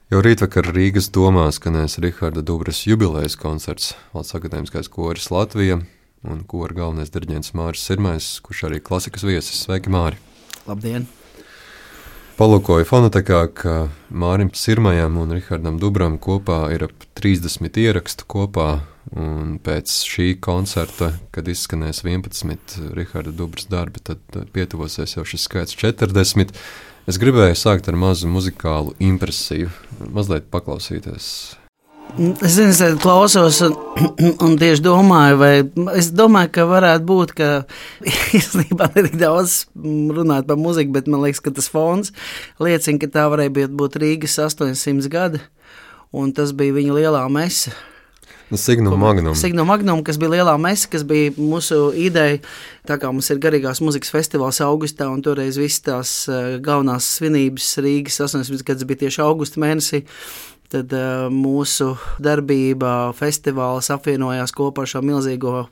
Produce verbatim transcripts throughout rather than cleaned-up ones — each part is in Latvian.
Jau rītvakar Rīgas domā skanēs Riharda Dubras jubilejas koncerts, Valsts akadēmiskais koris Latvija un kora galvenais diriģents Māris Sirmais, kurš arī klasikas viesis. Sveiki, Māri! Labdien! Palūkoju fonotekā, ka Mārim Sirmajam un Rihardam Dubram kopā ir ap trīsdesmit ierakstu kopā, un pēc šī koncerta, kad izskanēs vienpadsmit Riharda Dubras darbi, tad pietuvosies jau šis skaits četrdesmit. Es gribēju sākt ar mazu muzikālu impresiju, mazliet paklausīties. Es zinu, es klausos un, un tieši domāju, vai es domāju, ka varētu būt, ka īstenībā ne tik daudz runāt par muziku, bet man liekas, ka tas fons liecina, ka tā varēja būt Rīgas astoņsimt gadi, un tas bija viņa lielā mese. Signum Magnum. Signum Magnum, kas bija lielā mese, kas bija mūsu ideja. Tā kā mums ir garīgās muzikas festivāls augustā, un toreiz viss tās galvenās svinības Rīgas astoņdesmit gadus bija tieši augusta mēnesī, tad uh, mūsu darbība, festivāls apvienojās kopā ar šo milzīgo,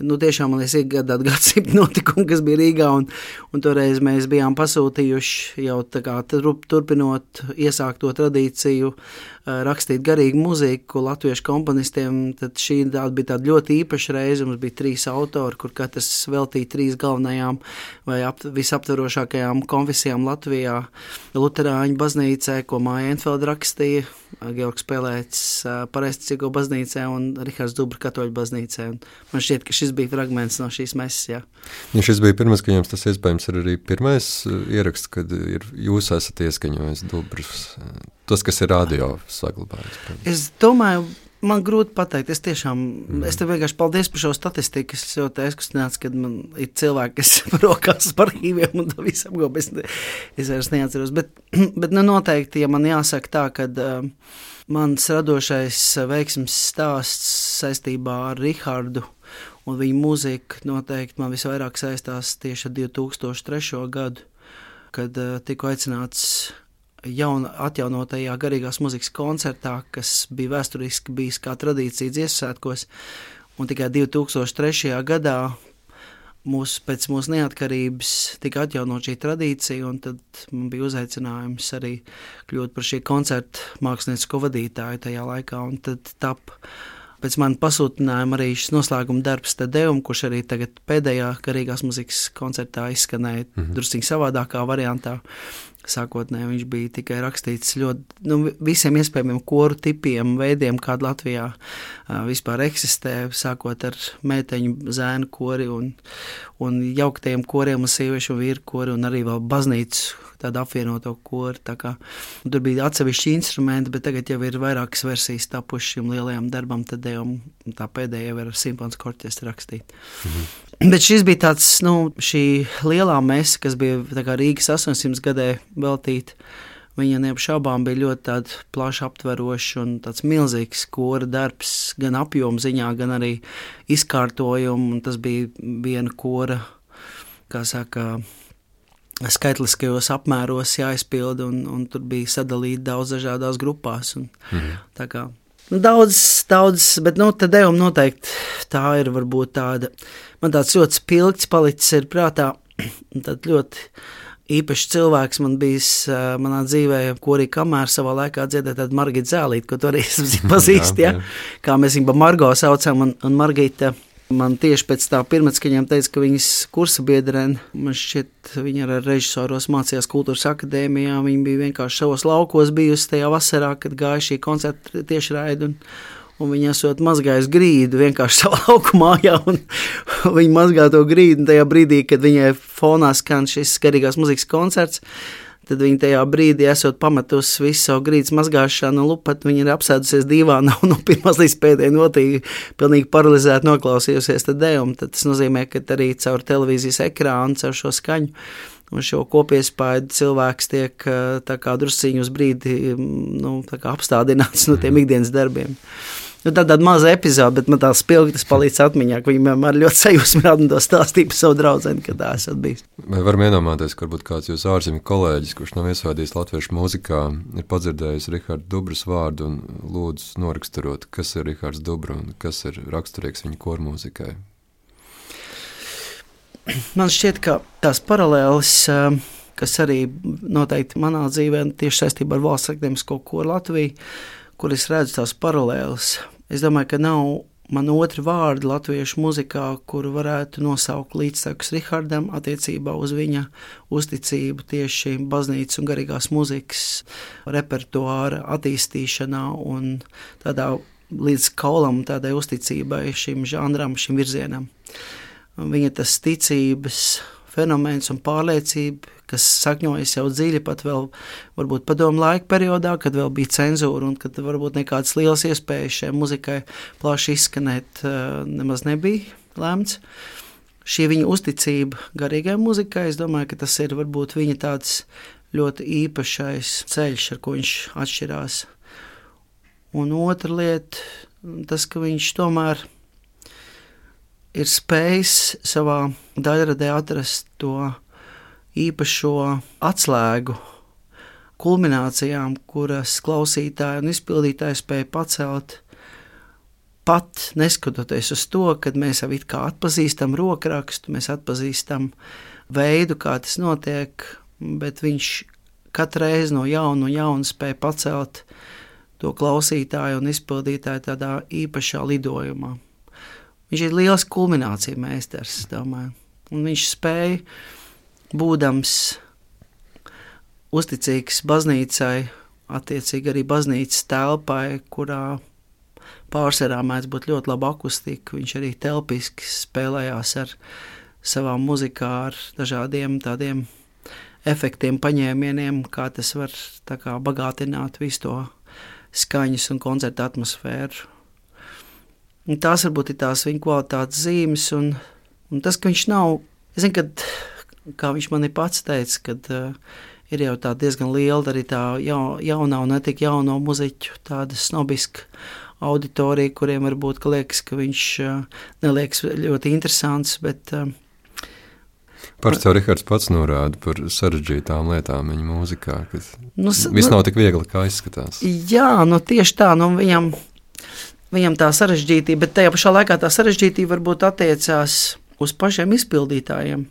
nu tiešām, man liekas, iegādāt gadsimtu notikumu, kas bija Rīgā, un, un toreiz mēs bijām pasūtījuši jau tā kā turpinot iesākt to tradīciju, uh, rakstīt garīgu muziku latviešu komponistiem, tad šī tāda bija tāda ļoti īpaša reize, mums bija trīs autori, kur katrs veltīja trīs galvenajām vai ap, visaptverošākajām konfesijām Latvijā, Luterāņu baznīcē, ko Māja Enfelda rakstīja, Georgs Pelēcis Pareizticīgo baznīcē un Rihards Dubra katoļu baznīcē. Un man šķiet, ka šis bija fragments no šīs meses, jā. Ja šis bija pirmais, ka jums tas iespējams ir arī pirmais ieraksts, kad ir, jūs esat ieskaņojis Dubras, tas, kas ir radio saglabājis. Es domāju, man grūti pateikt, es tiešām, mm. es tev vienkārši paldies par šo statistiku, es ļoti aizkustināts, kad man ir cilvēki, kas rokās par arhīviem un to visu apgop, es, es vairs neatceros, bet, bet nu noteikti, ja man jāsaka tā, kad uh, mans radošais veiksmes stāsts saistībā ar Rihardu un viņu mūziku noteikti man visvairāk saistās tieši ar divi tūkstoši trešo gadu, kad uh, tiku aicināts jauna atjaunotajā garīgās muzikas koncertā, kas bija vēsturiski bijis kā tradīcija Dziesmu svētkos, un tikai divi tūkstoši trešajā gadā mūs, pēc mūsu neatkarības tika atjaunot šī tradīcija, un tad man bija uzaicinājums arī kļūt par šī koncerta māksliniecisko vadītāju tajā laikā, un tad tap pēc man pasūtinājuma arī šis noslēguma darbs Te Deum, kurš arī tagad pēdējā garīgās muzikas koncertā izskanēja mm-hmm. drusciņ savādākā variantā. Sākotnēji viņš bija tikai rakstīts ļoti, nu, visiem iespējamiem koru tipiem, veidiem, kāda Latvijā uh, vispār eksistē, sākot ar mēteņu zēnu kori un, un jauktiem koriem un sieviešu un vīru kori un arī vēl baznīcu, tādu apvienoto kori. Tā kā, tur bija atsevišķi instrumenti, bet tagad jau ir vairākas versijas tapuši šim lielajam darbam, tad jau tā pēdējā jau ir ar simfonisko orķestru rakstīt. Mhm. Bet šis bija tāds, nu, šī lielā mese, kas bija tā kā Rīgas astoņsimt gadē veltīta, viņa neapšaubām bija ļoti tāda plaši aptveroša un tāds milzīgs kora darbs, gan apjoma ziņā, gan arī izkārtojumu, un tas bija viena kora, kā saka, skaitliskajos apmēros jāizpilda, un, un tur bija sadalīti daudz dažādās grupās, un mhm. tā kā, nu, daudz, daudz, bet, nu, Te Deum noteikti tā ir varbūt tāda, man tāds ļoti spilgts palicis ir prātā, tad ļoti īpašs cilvēks man bijis uh, manā dzīvē, ko arī kamēr savā laikā dziedēja tāda Margita Zēlīte, ko tu arī pazīst, ja? Kā mēs viņu pa Margo saucam, un, un Margita man tieši pēc tā pirmatskaņām teica, ka viņas kursa biedrene, man šķiet, viņa ar režisoros mācījās Kultūras akadēmijā, viņa bija vienkārši savos laukos bijusi tajā vasarā, kad gāja šī koncerta tiešraidi, un un viņa esot mazgājusi grīdu vienkārši savā lauku mājā, un viņa mazgā to grīdu, un tajā brīdī, kad viņai fonā skan šis garīgās muzikas koncerts, tad viņa tajā brīdī esot pametusi visu savu grīdas mazgāšanu un lupat, viņa ir apsēdusies divānā un no pirmās līdz pēdējai notīgi pilnīgi paralizēti noklausījusies Te Deum, tad tas nozīmē, ka arī caur televīzijas ekrānu, caur šo skaņu un šo kopiespaidu cilvēks tiek tā kā drusciņu uz brīdi, nu, tā kā apstādināts no tiem ikdienas darbiem. Nu, tā tāda maza epizode, bet man tā spilgti tas palīdz atmiņā, ka viņi man ļoti sajūsmināti un to stāstīja par savu draudzeni, kad tā esat bijis. Vai varam iedomāties, ka varbūt kāds jūs ārzemju kolēģis, kurš nav iesvādījis latviešu mūzikā, ir padzirdējis Riharda Dubras vārdu un lūdzu noraksturot, kas ir Rihards Dubra un kas ir raksturīgs viņa kormūzikai? Man šķiet, ka tās paralēles kas arī noteikti manā dzīvē tieši saistībā ar Valsts akadēmisko koru Latviju, kur es redzu tās paralēles. Es domāju, ka nav man otri vārdi latviešu muzikā, kuru varētu nosaukt līdztekus Rihardam attiecībā uz viņa uzticību tieši baznīcas un garīgās muzikas repertuāra attīstīšanā un tādā līdz kaulam tādai uzticībai šim žanram, šim virzienam. Viņa tas ticības fenomens un pārliecība, kas sakņojas jau dziļi pat vēl varbūt padomu laika periodā, kad vēl bija cenzūra un kad varbūt nekādas lielas iespējas šai muzikai plaši izskanēt nemaz nebija lēmts. Šī viņa uzticība garīgai muzikai, es domāju, ka tas ir varbūt viņa tāds ļoti īpašais ceļš, ar ko viņš atšķirās. Un otra lieta, tas, ka viņš tomēr ir spējis savā daļradē atrast to īpašo atslēgu kulminācijām, kuras klausītāji un izpildītāji spēja pacelt, pat neskatoties uz to, kad mēs jau it kā atpazīstam rokrakstu, mēs atpazīstam veidu, kā tas notiek, bet viņš katru reizi no jauna un jauna spēja pacelt to klausītāju un izpildītāju tādā īpašā lidojumā. Viņš ir liels kulminācija meistars, domāju, un viņš spēja, būdams uzticīgs baznīcai, attiecīgi arī baznīcas telpai, kurā pārsvarā mēdz būt ļoti laba akustika, viņš arī telpiski spēlējās ar savām muzikā, ar dažādiem tādiem efektiem, paņēmieniem, kā tas var tā kā bagātināt visu to skaņas un koncerta atmosfēru. Un tās varbūt ir tās viņa kvalitātes zīmes, un, un tas, ka viņš nav, es zinu, kad, kā viņš man ir pats teica, kad uh, ir jau tā diezgan liela arī tā jau, jaunā un netik jauno muziķu tāda snobiska auditorija, kuriem varbūt, ka liekas, ka viņš uh, neliekas ļoti interesants, bet... Uh, Parasti jau Rihards pats norāda par sarežģītām lietām viņa mūzikā, ka nu, viss nav tik viegli, kā izskatās. Jā, nu tieši tā, nu viņam, viņam tā sarežģītība, bet tajā pašā laikā tā sarežģītība varbūt attiecās uz pašiem izpildītājiem.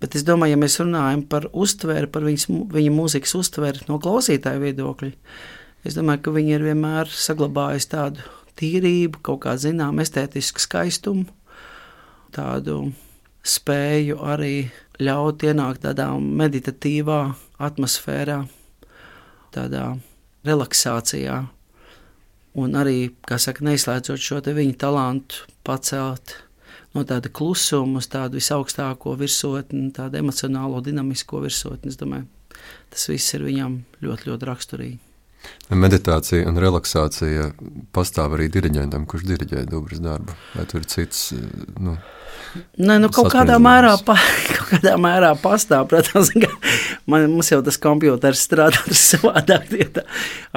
Bet es domāju, ja mēs runājam par uztveri, par viņas, viņa mūzikas uztveri no klausītāju viedokļa, es domāju, ka viņi ir vienmēr saglabājis tādu tīrību, kaut kā zinām estētisku skaistumu, tādu spēju arī ļaut ienākt tādā meditatīvā atmosfērā, tādā relaksācijā un arī, kā saka, neizslēdzot šo te viņa talantu pacelt no tāda klusuma uz tādu visaugstāko virsotni, tādu emocionālo dinamisko virsotni. Es domāju, tas viss ir viņam ļoti, ļoti raksturīgi. Meditācija un relaksācija pastāv arī diriģentam, kurš diriģē Dubras darbu. Vai tur ir cits, nu, Nē, nu kaut kādā mērā, pa, kaut kādā mērā pastāv, protams, ka man, mums jau tas kompjuters strādā savādāk, ja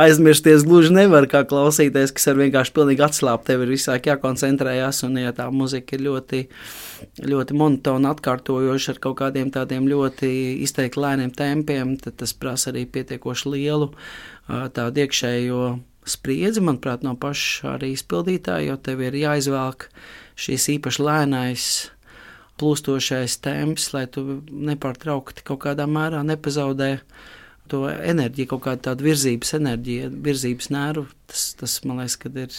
aizmirsties gluži nevar, kā klausīties, kas ir vienkārši pilnīgi atslāpt, tev ir visāk jākoncentrējās, un ja tā muzika ir ļoti, ļoti monotona, atkārtojoša ar kaut kādiem tādiem ļoti izteikti lēniem tempiem, tad tas prasa arī pietiekoši lielu tādu iekšējo spriedzi, manuprāt, no paša arī izpildītāja, jo tev ir jāizvelk šīs īpaši lēnais, plūstošais temps, lai tu nepārtraukti kaut kādā mērā nepazaudē to enerģiju, kaut kādu tādu virzības enerģiju, virzības nervu. Tas, tas man liekas, kad ir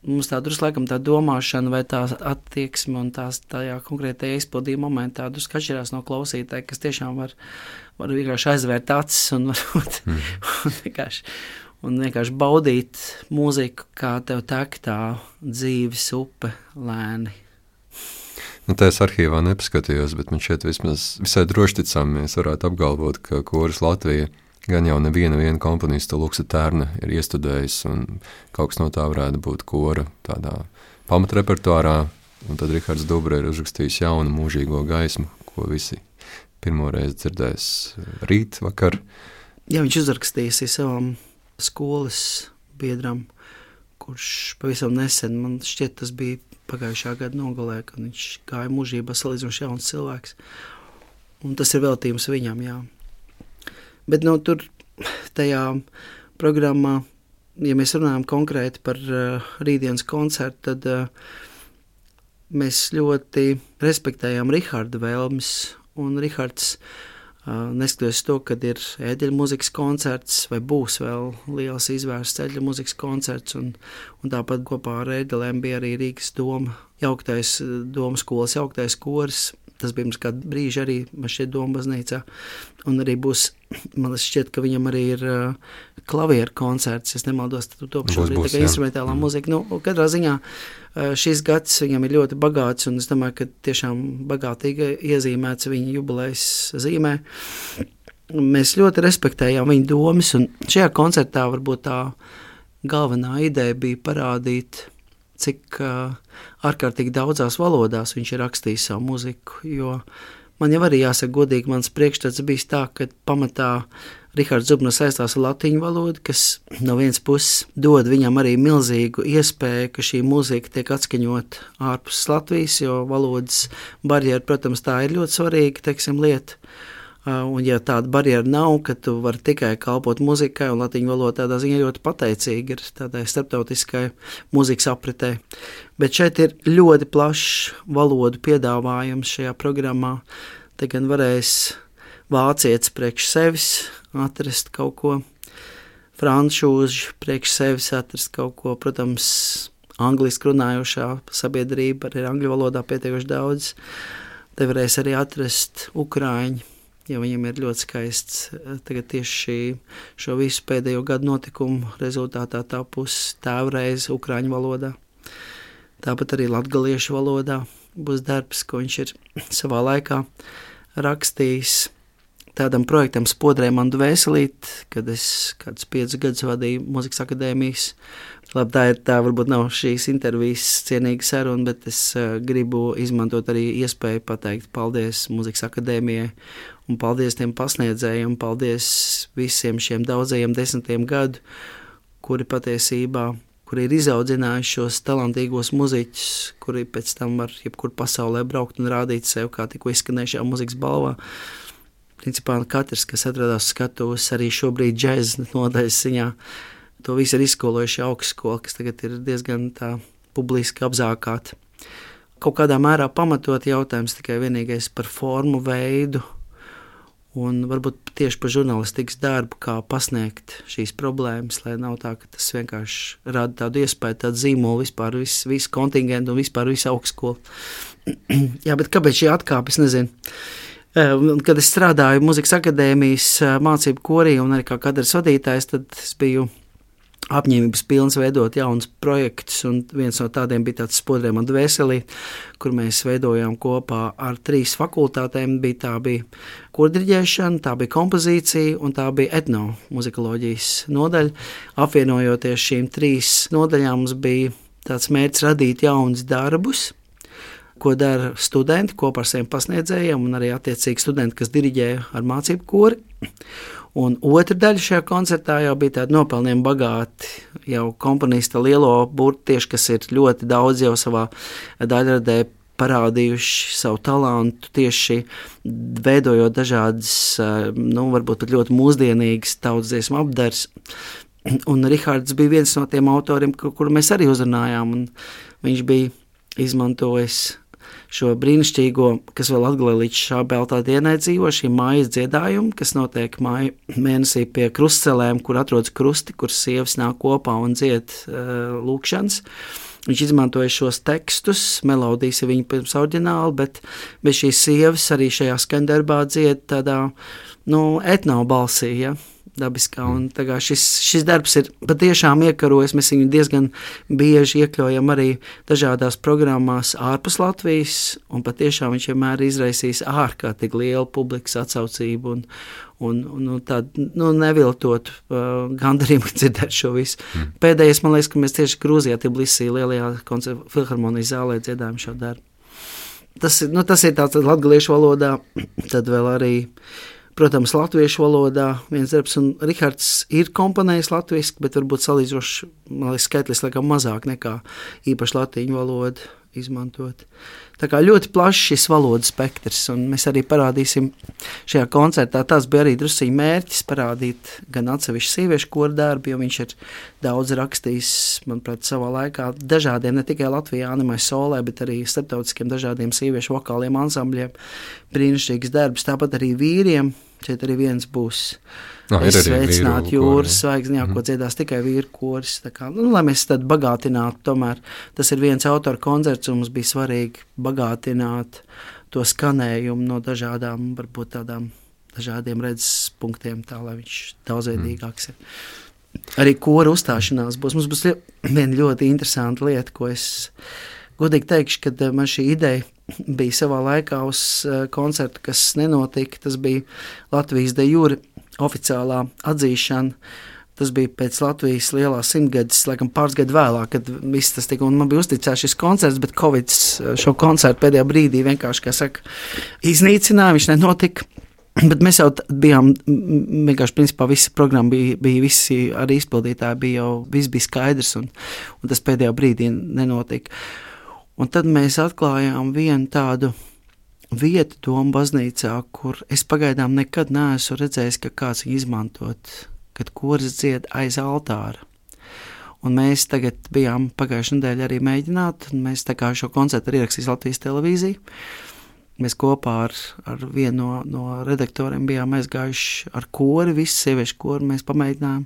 mums tā drusku laikam tā domāšana vai tā attieksme un tās tajā konkrētajā izpildījuma momentā drusku atšķirās no klausītāja, kas tiešām var, var vienkārši aizvērt acis un, varbūt, mm. un vienkārši... un vienkārši baudīt mūziku, kā tev tek tā dzīves upe lēni. Nu, tā es arhīvā nepaskatījos, bet man šeit vismaz visai droši ticām, mēs varētu apgalvot, ka koris Latvija gan jau neviena viena komponista Luksa Tērna ir iestudējis, un kaut kas no tā varētu būt kora tādā pamatrepertuārā, un tad Rihards Dubra ir uzrakstījis jaunu mūžīgo gaismu, ko visi pirmoreiz dzirdēs rīt vakar. Jā, viņš uzrakstījis savam skolas biedram, kurš pavisam nesen, man šķiet, tas bija pagājušā gada nogalē, kad viņš gāja mūžībā salīdzinoši jauns cilvēks. Un tas ir veltījums viņam, jā. Bet no tur tajā programmā, ja mēs runājam konkrēti par uh, rītdienas koncertu, tad uh, mēs ļoti respektējām Riharda vēlmes, un Rihards Neskatoties to, kad ir ēdeļu mūzikas koncerts, vai būs vēl liels izvērsts ēdeļu mūzikas koncerts, un, un tāpat kopā ar ēdelēm bija arī Rīgas doma, jauktais domu skolas jauktais koris. Tas bija mums kādu brīži arī, man šķiet, Doma baznīcā, un arī būs, man šķiet, ka viņam arī ir uh, klavieru koncerts, es nemaldos, tad to šobrīd tā kā instrumentālā mm. mūzika. Nu, katrā ziņā uh, šis gads viņam ir ļoti bagāts, un es domāju, ka tiešām bagātīgi iezīmēts viņa jubilejas zīmē. Mēs ļoti respektējām viņa domas, un šajā koncertā varbūt tā galvenā ideja bija parādīt, cik uh, ārkārtīgi daudzās valodās viņš ir rakstījis savu muziku, jo man jau arī jāsaka godīgi, mans priekšstats bijis tā, ka pamatā Rihards Zubners saistās ar latīņu valodu, kas no vienas puses dod viņam arī milzīgu iespēju, ka šī mūzika tiek atskaņot ārpus Latvijas, jo valodas barjera, protams, tā ir ļoti svarīga, teiksim, lieta. Un ja tāda barjera nav, ka tu vari tikai kalpot muzikai, un latīņu valoda tādā ziņā ļoti pateicīga ir tādai starptautiskai mūzikas apritē. Bet šeit ir ļoti plašs valodu piedāvājums šajā programmā. Te gan varēs vācietis priekš sevis atrast kaut ko, frančūži priekš sevis atrast kaut ko, protams, angliski runājošā sabiedrība arī angļu valodā pietiekoši daudz. Te varēs arī atrast ukrāņi, jo viņam ir ļoti skaists tagad tieši šī, šo visu pēdējo gadu notikumu rezultātā tapusi tēvreize ukrāņu valodā. Tāpat arī latgaliešu valodā būs darbs, ko viņš ir savā laikā rakstījis tādam projektam Spodrē man dvēselīt, kad es kādus piecus gadus vadīju Mūzikas akadēmijas. Labi, tā ir tā, varbūt nav šīs intervijas cienīga saruna, bet es uh, gribu izmantot arī iespēju pateikt paldies Mūzikas akadēmijai un paldies tiem pasniedzējiem, paldies visiem šiem daudzajiem desmitiem gadu, kuri patiesībā, kuri ir izaudzinājuši šos talantīgos muziķus, kuri pēc tam var jebkur pasaulē braukt un rādīt sev, kā tikko izskanējušajā mūzikas balvā. Principā katrs, kas atradās skatuves, arī šobrīd džēza nodaļas ziņā, to visu ir izskolojuši augstskola, kas tagad ir diezgan tā publiski apzākāta. Kaut kādā mērā pamatot jautājums tikai vienīgais par formu, veidu un varbūt tieši par žurnālistikas darbu, kā pasniegt šīs problēmas, lai nav tā, ka tas vienkārši rada tādu iespēju, tādu zīmolu vispār visu, visu kontingentu un vispār visu augstskolu. Jā, bet kāpēc šī atkāpe, es nezinu. Kad es strādāju Mūzikas akadēmijas mācību korī un arī kā kadras vadītājs, tad es biju apņēmības pilns veidot jaunus projektus, un viens no tādiem bija tāds Spodrē man dvēselīt, kur mēs veidojām kopā ar trīs fakultātēm. Bija tā bija kordiriģēšana, tā bija kompozīcija un tā bija etnomuzikoloģijas nodaļa. Apvienojoties šīm trīs nodaļām, mums bija tāds mērķis radīt jaunus darbus, ko dara studenti kopā ar saviem pasniedzējiem un arī attiecīgi studenti, kas diriģē ar mācību kori. Un otra daļa šajā koncertā jau bija tāda nopelniem bagāti, jau komponista lielo burtu tieši, kas ir ļoti daudz jau savā daļradē parādījuši savu talantu, tieši veidojot dažādas, nu, varbūt pat ļoti mūsdienīgas tautsdziesmu apdars. Un Rihards bija viens no tiem autoriem, kuru mēs arī uzrunājām, un viņš bija izmantojis šo brīnišķīgo, kas vēl atgalē līdz šā beltā dienai dzīvo, šī mājas dziedājumu, kas notiek māju mēnesī pie krustcelēm, kur atrodas krusti, kur sievas nāk kopā un dzied uh, lūkšanas. Viņš izmantoja šos tekstus, melodijas ir viņa pirms oriģināli, bet bez šīs sievas arī šajā skandarbā dzied tādā, nu, etno balsī, ja, dabiskā. Un tagad šis, šis darbs ir patiešām iekarojis, mēs viņu diezgan bieži iekļaujam arī dažādās programmās ārpus Latvijas, un patiešām viņš vienmēr izraisīs ārkārtīgi lielu publikas atsaucību un, un, un, un tādu, nu, neviltot uh, gandarījumu dzirdēt šo visu. Mm. Pēdējais, man liekas, ka mēs tieši Grūzijā Tbilisī lielajā filharmonijas zālē dziedājam šo darbu. Tas, nu, tas ir tāds latgaliešu valodā, tad vēl arī protams, latviešu valodā viens darbs, un Rihards ir komponējis latviski, bet varbūt salīdzoši, man liekas, skaitlis laikam mazāk nekā īpaši latīņu valodu izmantot. Tā kā ļoti plašs šis valodas spektrs, un mēs arī parādīsim šajā koncertā, tas bija arī drusciņi mērķis parādīt gan atsevišķu sieviešu koru darbu, jo viņš ir daudz rakstījis, manuprāt, savā laikā dažādiem, ne tikai Latvijā, Animai Solē, bet arī starptautiskiem dažādiem sieviešu vokāliem ansambļiem, brīnišķīgs darbs, tāpat arī vīriem. Šeit arī viens būs. No, es sveicinātu jūras zvaigzni, jā, mm. ko dziedās tikai vīru koris. Tā kā, nu, lai mēs tad bagātinātu, tomēr tas ir viens autora koncerts, un mums bija svarīgi bagātināt to skanējumu no dažādām, varbūt tādām dažādiem redzes punktiem, tā, lai viņš daudzveidīgāks ir. Arī kora uzstāšanās būs. Mums būs viena ļoti interesanta lieta, ko es godīgi teikšu, kad man šī ideja bija savā laikā uz koncertu, kas nenotika. Tas bija Latvijas de jure oficiālā atzīšana. Tas bija pēc Latvijas lielā simtgades, laikam pāris gadu vēlāk, kad viss tas tika, un man bija uzticēts šis koncerts, bet Covid šo koncertu pēdējā brīdī vienkārši, kā saka, iznīcināja, viņš nenotika. Bet mēs jau bijām, vienkārši principā visa programma bija, bija visi arī izpildītāji, bija jau, viss bija skaidrs, un, un tas pēdējā brīdī nenotika. Un tad mēs atklājām vienu tādu vietu Doma baznīcā, kur es pagaidām nekad neesmu redzējis, ka kāds izmantot, kad koris dzied aiz altāra. Un mēs tagad bijām pagājušajā nedēļā arī mēģināt, un mēs tā kā šo koncertu ir ierakstījis Latvijas televīzija. Mēs kopā ar, ar vienu no, no redaktoriem bijām aizgājuši ar kori, visu sieviešu kori mēs pamēģinājām.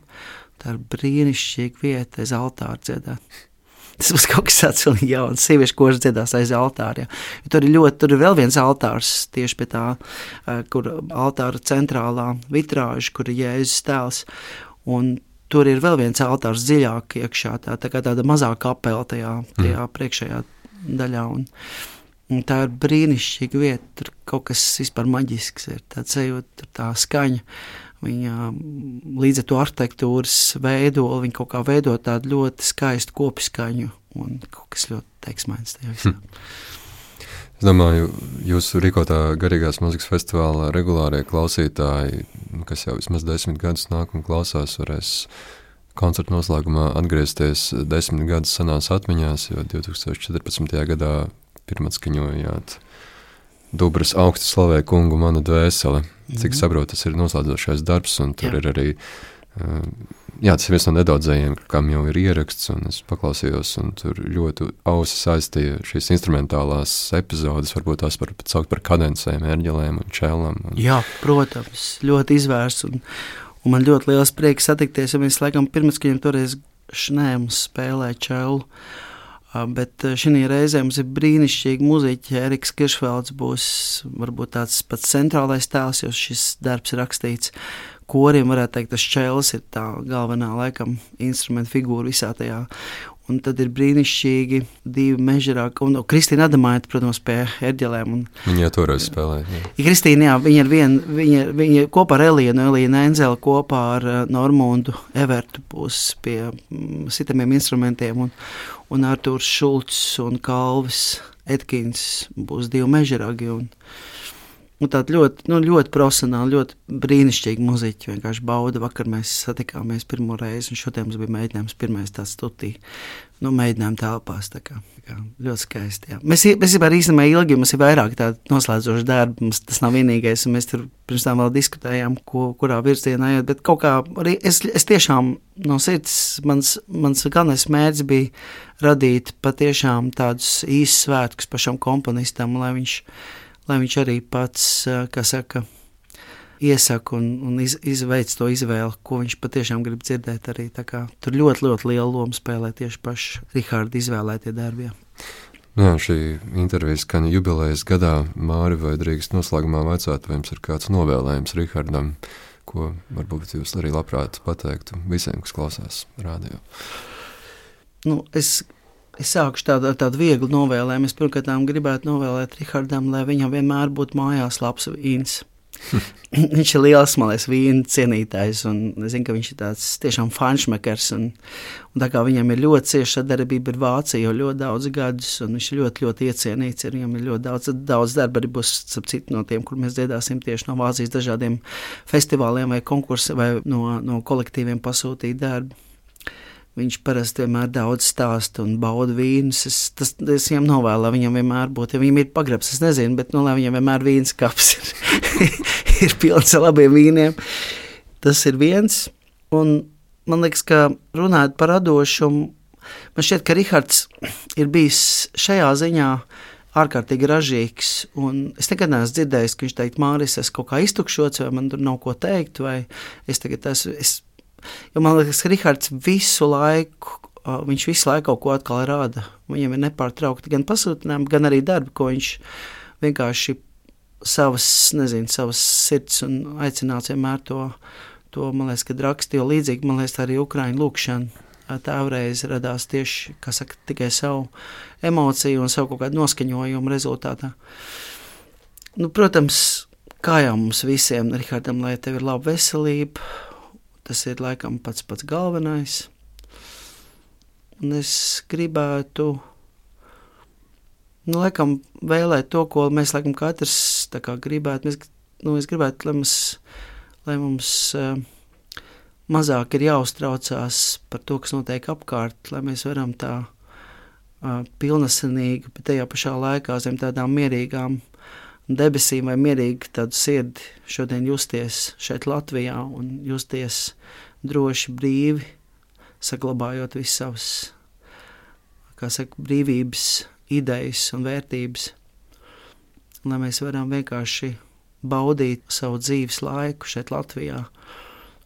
Tā ir brīnišķīga vieta aiz altāra dziedāt. Tas būs kaut kas tāds vēl jauns, sieviešu koris dziedās aiz altāra. Tur ir ļoti, tur ir vēl viens altārs tieši pie tā, kur altāra centrālā vitrāža, kur ir Jēzus tēls, un tur ir vēl viens altārs dziļāk iekšā, tā, tā kā tāda mazā kapela tajā, tajā mm. priekšējā daļā, un Un tā ir brīnišķīga vieta, tur kaut kas vispār maģisks ir, tāds sajūt, tur tā skaņa, viņa līdz ar to arhitektūras veidoli, viņa kaut kā veido tādu ļoti skaistu kopiskaņu un kaut kas ļoti teiksmains tajā visā. Hm. Es domāju, jūsu rīkotā garīgās mūzikas festivālā regulārie klausītāji, kas jau vismaz desmit gadus nāk un klausās, varēs koncertu noslēgumā atgriezties desmit gadus senās atmiņās, jo divi tūkstoši četrpadsmitajā gadā pirmatskaņojāt Dubras augstu slavē kungu manu dvēseli. Cik saprotu, tas ir noslēdzošais darbs, un tur jā. Ir arī, jā, tas ir viens no nedaudzējiem, kam jau ir ieraksts, un es paklausījos, un tur ļoti ausi saistīja šīs instrumentālās epizodes, varbūt tās par, saukt par kadencēm, ērģelēm un čēlam. Un... Jā, protams, ļoti izvērsts, un, un man ļoti liels prieks satikties, jo mēs laikam pirmatskaņiem toreiz šnēmus spēlē čēlu. Bet šī reizē mums ir brīnišķīgi muziķi. Eriks Kiršvelds būs varbūt tāds pats centrālais tēls, jo šis darbs ir rakstīts koriem, varētu teikt, tas čēlis ir tā galvenā laikam instrumenta figūra visā tajā. Un tad ir brīnišķīgi divi mežerāki, un no, Kristīna Adamaita, protams, pie erģelēm. Un, viņa jau toreiz spēlēja. Jā. Ja Kristīna, jā, viņa ir vien, viņa, viņa kopā ar Elīnu, Elīnu Enzeli, kopā ar Normundu Evertu būs pie mm, sitamiem instrumentiem, un, un Artūrs Šulcs un Kalvis Etkins būs divi mežerāgi, un, un tādi ļoti, nu, ļoti profesionāli, ļoti brīnišķīgi muziķi, vienkārši bauda. Vakar mēs satikāmies pirmo reizi, un šodien mums bija mēģinājums pirmais tāds stutī, nu, mēģinājumi telpās, tā kā, tā kā ļoti skaisti, jā. Mēs, mēs jau īstenībā ilgi, mums ir vairāk tādi noslēdzoši darbi, mums tas nav vienīgais, un mēs tur pirms tam vēl diskutējām, ko, kurā virzienā iet, bet kaut kā arī es, es tiešām no sirds, mans, mans galvenais mērķis bija radīt patiešām tādus īsus svētkus pašam komponistam, lai viņš lai viņš arī pats, kā saka, iesaka un, un iz, izveic to izvēli, ko viņš patiešām grib dzirdēt arī. Tā kā tur ļoti, ļoti liela loma spēlē tieši paši Riharda izvēlētie darbi. Jā, šī intervija skan jubilejas gadā. Māri, vai drīkst noslēgumā vaicāt, vai jums ir kāds novēlējums Rihardam, ko varbūt jūs arī labprāt pateiktu visiem, kas klausās rādio? Nu, es... Es sākušu tādu, tādu vieglu novēlējumu. Es pirmkārt gribētu novēlēt Rihardam, lai viņam vienmēr būtu mājās labs vīns. Viņš ir liels, man liekas, vīna cienītājs, un es zinu, ka viņš ir tāds tiešām fanšmekers, un, un tā kā viņam ir ļoti cieša sadarbība ar Vāciju jau ļoti daudz gadus, un viņš ir ļoti, ļoti iecienīts, ir viņam ir ļoti daudz, daudz darba arī būs, ap citu no tiem, kur mēs dziedāsim tieši no Vācijas dažādiem festivāliem vai konkursiem, vai no, no kolektīviem pasūtīt darbu. Viņš parasti vienmēr daudz stāsta un bauda vīnus. Es, tas, es viņam novēlu, lai viņam vienmēr būtu. Ja viņam ir pagrabs, es nezinu, bet nu, lai viņam vienmēr vīns kaps ir, ir pilns ar labiem vīniem. Tas ir viens. Un man liekas, ka runājot par radošumu, man šķiet, ka Rihards ir bijis šajā ziņā ārkārtīgi ražīgs, un es nekad neesmu dzirdējis, ka viņš teikt, Māris, es kaut kā iztukšots, vai man tur nav ko teikt, vai es tagad esmu, es, jo man liekas, ka Rihards visu laiku, viņš visu laiku kaut ko atkal rāda, viņam ir nepārtraukti gan pasūtinājumi, gan arī darbi, ko viņš vienkārši savas, nezinu, savas sirds un aicināts vienmēr to, to, man liekas, kad raksta, jo līdzīgi, man liekas, arī Ukraiņu lūkšana, tēvreiz radās tieši, kā saka, tikai savu emociju un savu kaut kādu noskaņojumu rezultātā. Nu, protams, kā jau mums visiem, Rihardam, lai tev ir laba veselība, tas ir laikam pats pats galvenais. Un es gribētu, nu, laikam, vēlēt to, ko mēs, laikam, katrs tā kā gribētu. Mēs, nu, es gribētu, lai mums, lai mums uh, mazāk ir jāuztraucās par to, kas notiek apkārt, lai mēs varam tā uh, pilnasenīgi, bet tajā pašā laikā zem tādām mierīgām debesīm vai mierīgi tādu sirdi šodien justies šeit Latvijā un justies droši, brīvi, saglabājot visas savas, kā saka, brīvības, idejas un vērtības, lai mēs varam vienkārši baudīt savu dzīves laiku šeit Latvijā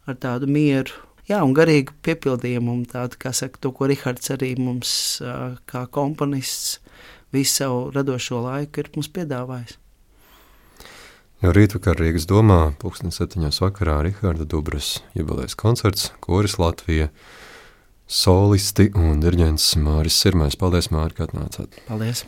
ar tādu mieru, jā, un garīgu piepildījumu, un tādu, kā saka, to, ko Rihards arī mums, kā komponists, visu savu radošo laiku ir mums piedāvājis. Jau rītvakar Rīgas domā, pulksten septiņos vakarā Riharda Dubras jubilejas koncerts, koris Latvija, solisti un diriģents Māris Sirmais. Paldies, Māri, ka atnācāt. Paldies.